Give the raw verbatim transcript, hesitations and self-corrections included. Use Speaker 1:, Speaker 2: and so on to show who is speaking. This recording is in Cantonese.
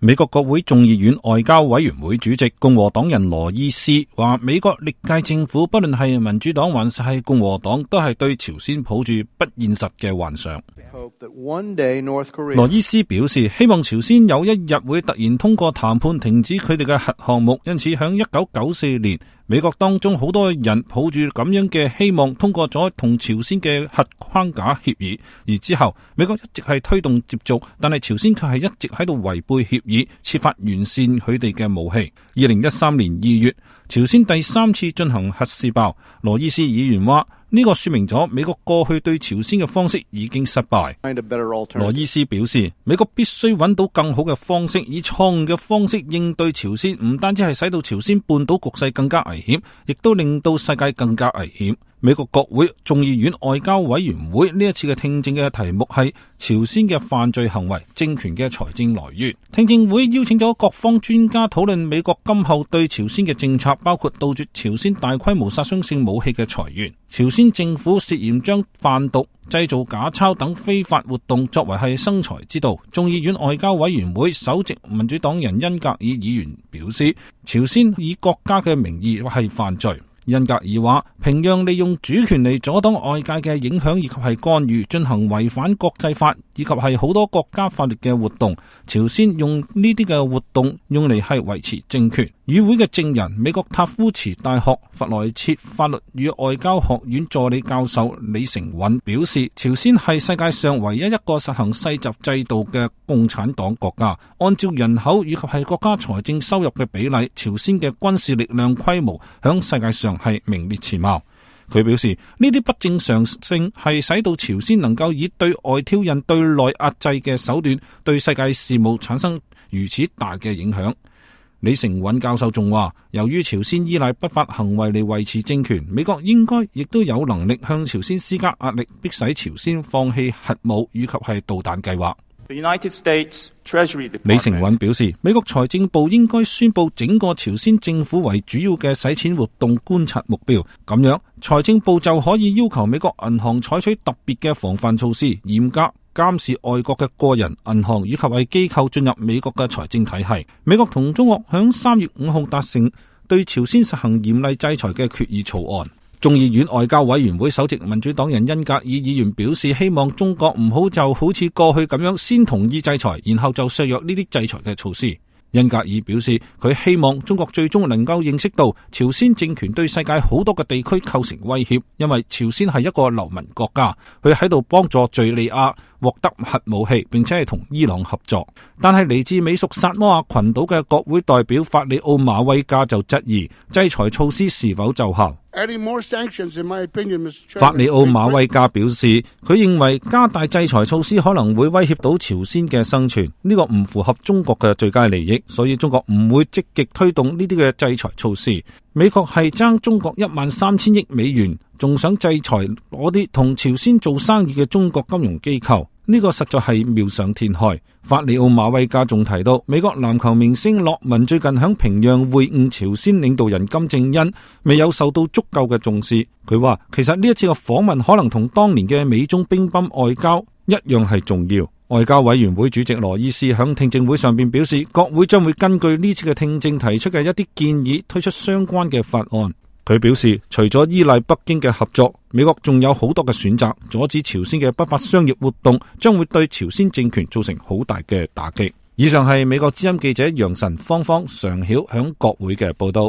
Speaker 1: 美國國會眾議院外交委員會主席共和黨人羅伊斯話，美國歷屆政府不論係民主黨還是係共和黨，都係對朝鮮抱住不現實嘅幻想。羅伊斯表示，希望朝鮮有一日會突然通過談判停止佢哋嘅核項目，因此響一九九四年，美國當中好多人抱住咁樣嘅希望，通過咗同朝鮮嘅核框架協議，而之後美國一直係推動接觸，但係朝鮮卻係一直喺度違背協議，設法完善佢哋嘅武器。二零一三年二月，朝鮮第三次進行核試爆，羅伊斯議員話呢個說明咗美國過去對朝鮮嘅方式已經失敗。羅伊斯表示，美國必須揾到更好嘅方式，以錯誤嘅方式應對朝鮮，唔單止係使到朝鮮半島局勢更加危險，亦都令到世界更加危險。美國國會眾議院外交委員會呢一次嘅聽證嘅題目係朝鮮嘅犯罪行為、政權嘅財政來源。聽證會邀請咗各方專家討論美國今後對朝鮮嘅政策，包括杜絕朝鮮大規模殺傷性武器嘅財源。朝鮮政府涉嫌將販毒、製造假鈔等非法活動作為係生財之道。眾議院外交委員會首席民主黨人恩格爾議員表示，朝鮮以國家嘅名義係犯罪。恩格爾話，平壤利用主權嚟阻擋外界嘅影響以及係干預，進行違反國際法以及係好多國家法律嘅活動。朝鮮用呢啲嘅活動用嚟係維持政權。與會嘅證人，美國塔夫茨大學弗萊切法律與外交學院助理教授李成允表示，朝鮮係世界上唯一一個實行世襲制度嘅共產黨國家。按照人口以及係國家財政收入嘅比例，朝鮮嘅軍事力量規模響世界上係名列前茅。佢表示，呢啲不正常性係使到朝鮮能夠以對外挑釁、對內壓制嘅手段，對世界事務產生如此大嘅影響。李成允教授仲話，由於朝鮮依賴不法行為嚟維持政權，美國應該亦都有能力向朝鮮施加壓力，迫使朝鮮放棄核武以及係導彈計劃。李成允表示，美國財政部應該宣布整個朝鮮政府為主要嘅洗錢活動觀察目標，咁樣財政部就可以要求美國銀行採取特別嘅防範措施，嚴格監視外國嘅個人、銀行以及係機構進入美國嘅財政體系。美國同中國響三月五號達成對朝鮮實行嚴厲制裁嘅決議草案。眾議院外交委員會首席民主黨人恩格爾議員表示，希望中國唔好就好似過去咁樣先同意制裁，然後就削弱呢啲制裁嘅措施。恩格爾表示，佢希望中國最終能夠認識到朝鮮政權對世界好多嘅地區構成威脅，因為朝鮮係一個流民國家，佢喺度幫助敘利亞獲得核武器，並且係同伊朗合作。但係嚟自美屬薩摩亞群島嘅國會代表法里奧馬威加就質疑制裁措施是否奏效。法里奧馬威加表示，佢認為加大制裁措施可能會威脅到朝鮮嘅生存，呢個唔符合中國嘅最佳利益，所以中國唔會積極推動呢啲嘅制裁措施。美國係爭中國一萬三千億美元，仲想制裁嗰啲同朝鮮做生意嘅中國金融機構，呢個實在係妙想天開。法里奧馬威加仲提到，美國籃球明星洛文最近響平壤會晤朝鮮領導人金正恩，未有受到足夠嘅重視。佢話其實呢一次嘅訪問可能同當年嘅美中乒乓外交一樣係重要。外交委員會主席羅伊斯響聽證會上邊表示，國會將會根據呢次嘅聽證提出嘅一啲建議，推出相關嘅法案。佢表示，除咗依賴北京嘅合作，美國仲有好多嘅選擇，阻止朝鮮嘅不法商業活動將會對朝鮮政權造成好大嘅打擊。以上係美國之音記者楊晨、芳芳、常曉響國會嘅報道。